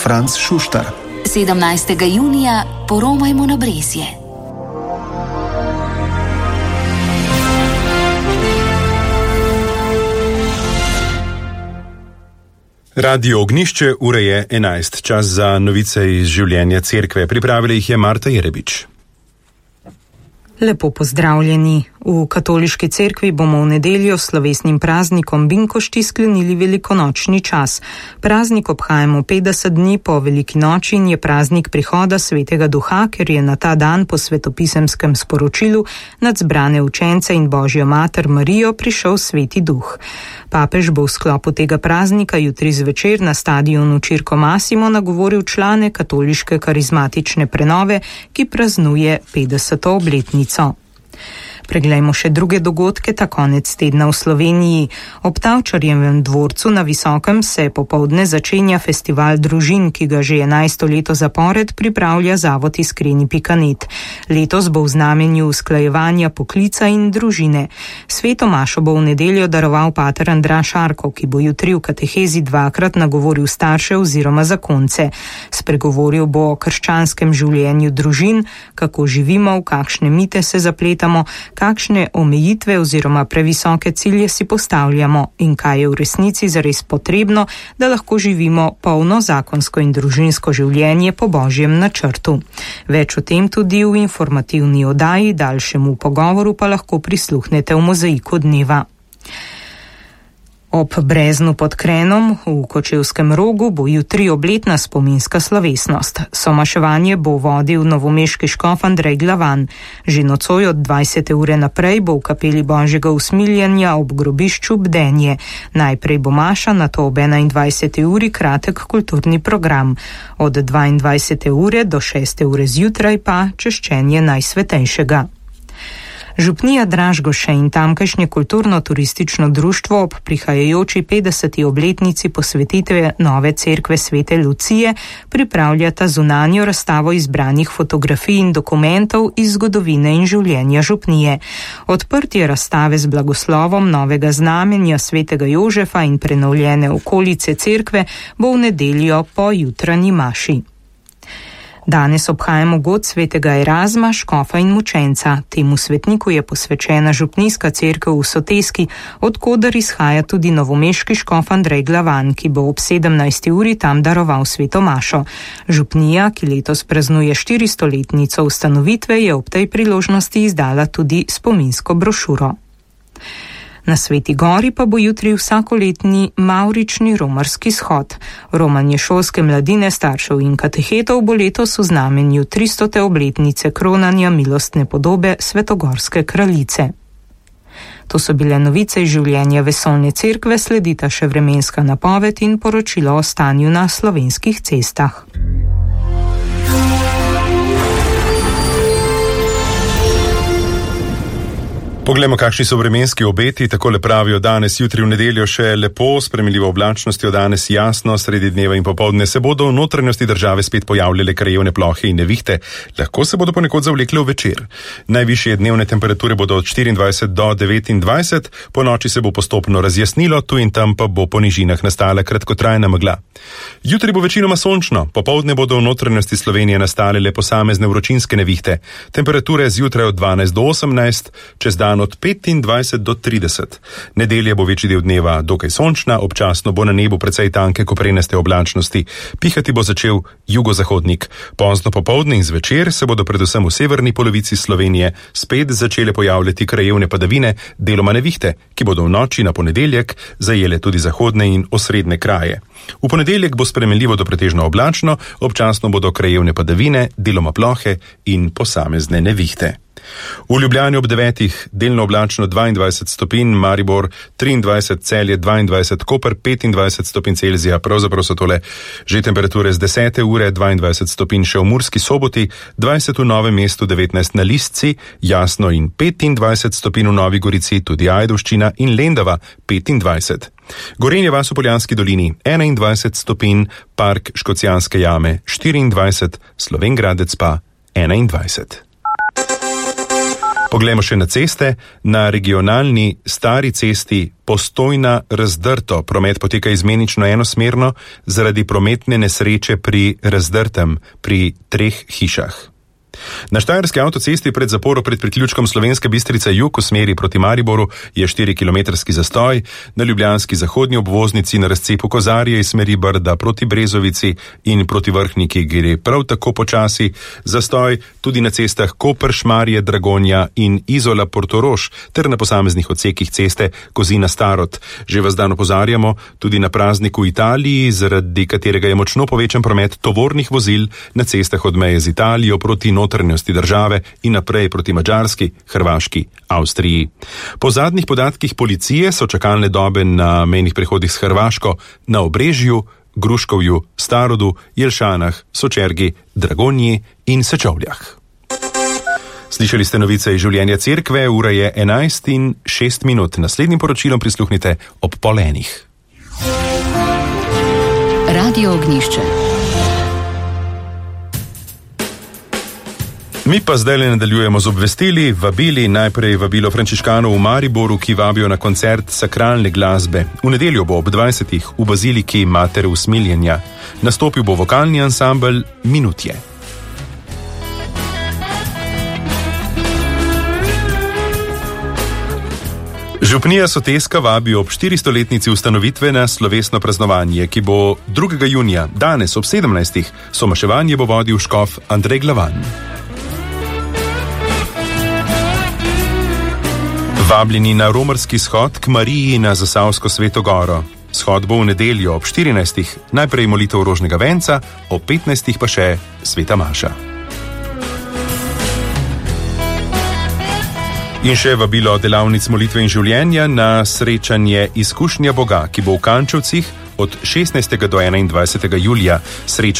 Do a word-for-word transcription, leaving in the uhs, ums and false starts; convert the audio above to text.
Franc Šuštar. sedemnajstega junija poromajmo na Brezje. Radio Ognišče, ura je enajst, čas za novice iz življenja cerkve. Pripravila jih je Marta Jerebič. Lepo pozdravljeni. V katoliški cerkvi bomo v nedeljo s slovesnim praznikom Binkošti sklenili velikonočni čas. Praznik obhajamo petdeset dni po veliki noči in je praznik prihoda Svetega Duha, ker je na ta dan po svetopisemskem sporočilu nad zbrane učence in Božjo mater Marijo prišel Sveti Duh. Papež bo v sklopu tega praznika jutri zvečer na stadionu Circo Massimo nagovoril člane katoliške karizmatične prenove, ki praznuje petdeseto obletnico. Preglejmo še druge dogodke ta konec tedna v Sloveniji. Ob Tavčarjevem dvorcu na Visokem se popoldne začenja festival družin, ki ga že enajsto leto zapored pripravlja Zavod Iskreni pika net. Letos bo v znamenju usklajevanja poklica in družine. Sveto mašo bo v nedeljo daroval pater Andraž Arko, ki bo jutri v katehezi dvakrat nagovoril starše oziroma zakonce. Spregovoril bo o krščanskem življenju družin, kako živimo, v kakšne mite se zapletamo, kakšne omejitve oziroma previsoke cilje si postavljamo in kaj je v resnici zares potrebno, da lahko živimo polno zakonsko in družinsko življenje po Božjem načrtu. Več o tem tudi v informativni oddaji, daljšemu pogovoru pa lahko prisluhnete v Mozaiku dneva. Ob Breznu pod Krenom v Kočevskem Rogu bo jutri obletna spominska slovesnost. Somaševanje bo vodil novomeški škof Andrej Glavan. Že nocoj od dvajsete ure naprej bo v kapeli Božjega usmiljenja ob grobišču bdenje. Najprej bo maša, nato ob enaindvajseti uri kratek kulturni program. Od dvaindvajsete ure do šeste ure zjutraj pa češčenje Najsvetejšega. Župnija Dražgoše in tamkajšnje kulturno-turistično društvo ob prihajajoči petdeseti obletnici posvetitve nove cerkve Svete Lucije pripravljata zunanjo razstavo izbranih fotografij in dokumentov iz zgodovine in življenja župnije. Odprtje razstave z blagoslovom novega znamenja Svetega Jožefa in prenovljene okolice cerkve bo v nedeljo po jutranji maši. Danes obhajamo god Svetega Erazma, škofa in mučenca. Temu svetniku je posvečena župnijska cerkev v Soteski, od koder izhaja tudi novomeški škof Andrej Glavan, ki bo ob sedemnajsti uri tam daroval sveto mašo. Župnija, ki letos praznuje štiristoletnico ustanovitve, je ob tej priložnosti izdala tudi spominsko brošuro. Na Sveti Gori pa bo jutri vsakoletni mavrični romarski shod. Romanje šolske mladine, staršev in katehetov bo letos v znamenju tristote obletnice kronanja milostne podobe Svetogorske kraljice. To so bile novice iz življenja vesoljne cerkve, sledita še vremenska napoved in poročilo o stanju na slovenskih cestah. Poglejmo, kakšni so vremenski obeti. Takole pravijo: danes, jutri, v nedeljo še lepo, s spremenljivo oblačnostjo, danes jasno, sredi dneva in popoldne se bodo v notranjosti države spet pojavljale krajevne plohe in nevihte. Lahko se bodo ponekod zavlekle v večer. Najvišje dnevne temperature bodo od štiriindvajset do devetindvajset, po noči se bo postopno razjasnilo, tu in tam pa bo po nižinah nastala kratkotrajna megla. Jutri bo večinoma sončno, popoldne bodo v notranjosti Slovenije nastale le posamezne vročinske nevihte. Temperature zjutraj od dvanajst do osemnajst, čez dan od petindvajset do trideset. Nedelja bo večji del dneva dokaj sončna, občasno bo na nebu precej tanke koprenaste oblačnosti. Pihati bo začel jugozahodnik. Pozno popoldne in zvečer se bodo predvsem v severni polovici Slovenije spet začele pojavljati krajevne padavine, deloma nevihte, ki bodo v noči na ponedeljek zajele tudi zahodne in osrednje kraje. V ponedeljek bo spremenljivo do pretežno oblačno, občasno bodo krajevne padavine, deloma plohe in posamezne nevihte. V Ljubljani ob devetih delno oblačno dvaindvajset stopinj, Maribor triindvajset, Celje dvaindvajset, Koper petindvajset stopinj Celzija, pravzaprav so tole že temperature z desete ure, dvaindvajset stopinj še v Murski Soboti, dvajset v Novem mestu, devetnajst na Listci, Jasno in petindvajset stopinj v Novi Gorici, tudi Ajdovščina in Lendava petindvajset. Gorenje vas v Poljanski dolini enaindvajset stopinj, Park Škocjanske jame štiriindvajset, Slovenj Gradec pa enaindvajset. Poglejmo še na ceste. Na regionalni stari cesti Postojna-Razdrto promet poteka izmenično enosmerno zaradi prometne nesreče pri Razdrtem, pri treh hišah. Na štajerski avtocesti pred zaporo pred priključkom Slovenska Bistrica jug v smeri proti Mariboru je štirikilometrski zastoj, na ljubljanski zahodnji obvoznici na razcepu Kozarje iz smeri Brda proti Brezovici in proti Vrhniki gre prav tako počasi, zastoj tudi na cestah Koper, Šmarje, Dragonja in Izola Portorož ter na posameznih odsekih ceste Kozina-Starod. Že vas dan opozarjamo tudi na praznik v Italiji, zaradi katerega je močno povečan promet tovornih vozil na cestah od meje z Italijo proti notranjosti države in naprej proti Madžarski, Hrvaški, Avstriji. Po zadnjih podatkih policije so čakalne dobe na mejnih prehodih s Hrvaško na Obrežju, Gruškovju, Starodu, Jelšanah, Sočergi, Dragonji in Sečovljah. Slišali ste novice iz življenja cerkve, ura je enajst in šest minut. Naslednjim poročilom prisluhnite ob pol enih. Radio Ognjišče. Mi pa zdaj le nadaljujemo z obvestili, vabili, najprej vabilo frančiškanov v Mariboru, ki vabijo na koncert sakralne glasbe. V nedeljo bo ob dvajsetih v baziliki Matere usmiljenja. Nastopil bo vokalni ansambel Minutje. Župnija Soteska vabi ob štiristoletnici ustanovitve na slovesno praznovanje, ki bo drugega junija, danes ob sedemnajstih. Somaševanje bo vodil škof Andrej Glavan. Vabljeni na romarski shod k Mariji na Zasavsko Sveto Goro. Shod bo v nedeljo ob štirinajstih, najprej molitev rožnega venca, ob petnajstih pa še sveta maša. In še vabilo delavnic molitve in življenja na srečanje Izkušnja Boga, ki bo v Kančevcih od šestnajstega do enaindvajsetega julija. Srečanje